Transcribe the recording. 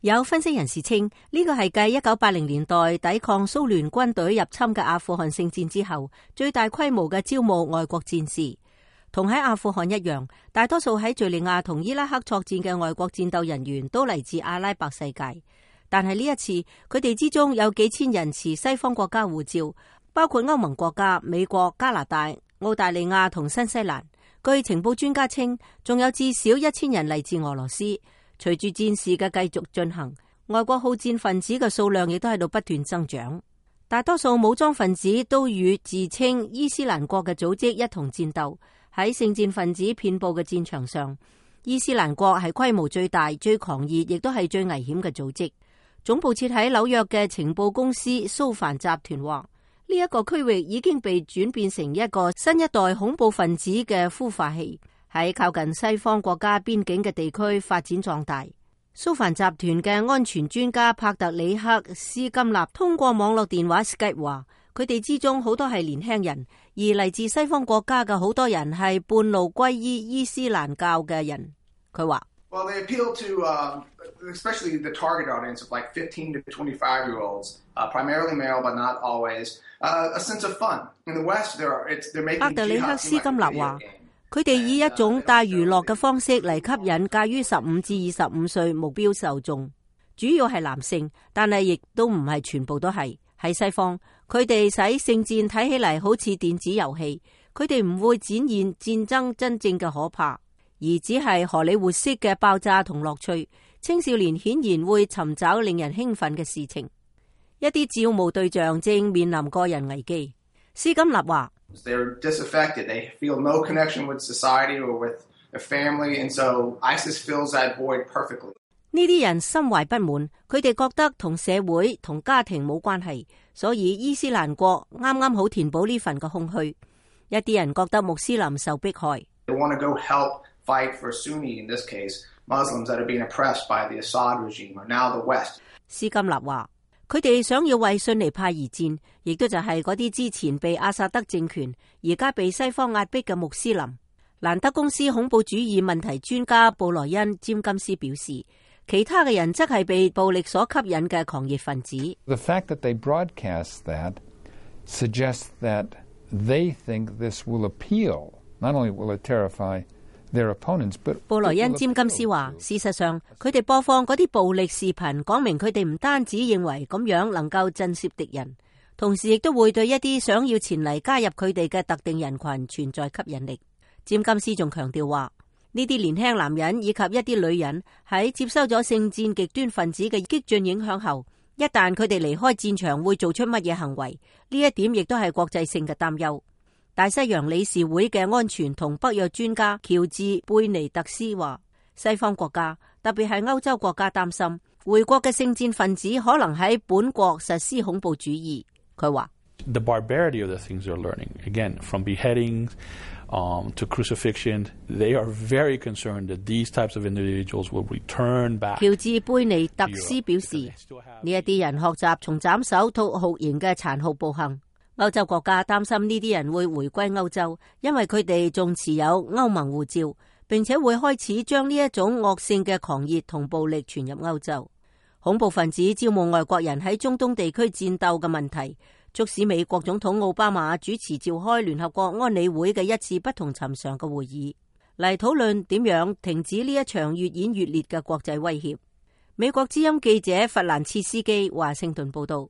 有分析人士稱，呢個係繼1980年代抵抗蘇聯軍隊入侵嘅阿富汗聖戰之後，最大規模嘅招募外國戰士。同喺阿富汗一樣，大多數喺敘利亞同伊拉克作戰嘅外國戰鬥人員都嚟自阿拉伯世界。但係呢一次，佢哋之中有幾千人持西方國家護照，包括歐盟國家、美國、加拿大、澳大利亞同新西蘭。據情報專家稱，仲有至少1000人嚟自俄羅斯。隨住戰事嘅繼續進行，外國好戰分子嘅數量亦都喺度不斷增長。大多數武裝分子都與自稱伊斯蘭國嘅組織一同戰鬥。喺聖戰分子遍佈嘅戰場上，伊斯蘭國係規模最大、最狂熱，亦都係最危險嘅組織。總部設喺紐約嘅情報公司蘇凡集團話，呢一個區域已經被轉變成一個新一代恐怖分子嘅孵化器，喺靠近西方國家邊境嘅地區發展壯大。蘇凡集團嘅安全專家帕特里克斯金納通過網絡電話 Skype 話，佢哋之中好多係年輕人，而嚟自西方國家嘅好多人係半路歸依伊斯蘭教嘅人。佢話：Well, they appeal to, especially the target audience of like 15 to 25-year-olds, primarily male, but not always, a sense of fun. In the West, they're making. 帕特里克斯金納話，佢哋以一種帶娛樂嘅方式嚟吸引介於15至25歲目標受眾，主要係男性，但係亦都唔係全部都係。喺西方，佢哋使聖戰睇起嚟好似電子遊戲，佢哋唔會展現戰爭真正嘅可怕，而只係荷里活式嘅爆炸同樂趣。青少年顯然會尋找令人興奮嘅事情。一啲招募對象正面臨個人危機。斯金納話：They're disaffected. They feel no connection with society or with their family, and so ISIS fills that void perfectly. 呢啲人心懷不滿，佢哋覺得同社會同家庭冇關係，所以伊斯蘭國啱啱好填補呢份嘅空虛。一啲人覺得穆斯林受迫害。They want to go help fight for Sunni, in this case, Muslims that are being oppressed by the Assad regime or now the West. 斯金納話，佢哋想要為遜尼派而戰，亦都就係嗰啲之前被阿薩德政權，而家被西方壓迫嘅穆斯林。蘭德公司恐怖主義問題專家布萊恩詹金斯表示，其他嘅人則係被暴力所吸引嘅狂熱分子。The fact that they broadcast that suggests that they think this will appeal. Not only will it terrify their opponents, but 布萊恩詹金斯話，事實上，佢哋播放嗰啲暴力視頻，講明佢哋唔單止認為咁樣能夠震懾敵人，同時亦都會對一啲想要前嚟加入佢哋嘅特定人群存在吸引力。詹金斯仲強調話，呢啲年輕男人以及一啲女人喺接收咗聖戰極端分子嘅激進影響後，一旦佢哋離開戰場會做出乜嘢行為，呢一點亦都係國際性嘅擔憂。大西洋理事會嘅安全同北約專家喬治貝尼特斯話，西方國家特別係歐洲國家擔心回國嘅聖戰分子可能喺本國實施恐怖主義。佢話：The barbarity of the things they're learning, again, from beheadings to crucifixion, they are very concerned that these types of individuals will return back. 喬治貝尼特斯表示，呢一啲人學習從斬首到酷刑嘅殘酷暴行。歐洲國家擔心呢啲人會回歸歐洲，因為佢哋仲持有歐盟護照，並且會開始將呢一種惡性嘅狂熱同暴力傳入歐洲。恐怖分子招募外國人喺中東地區戰鬥嘅問題，促使美國總統奧巴馬主持召開聯合國安理會嘅一次不同尋常嘅會議，嚟討論點樣停止呢一場越演越烈嘅國際威脅。美國之音記者弗蘭切斯基華盛頓報道。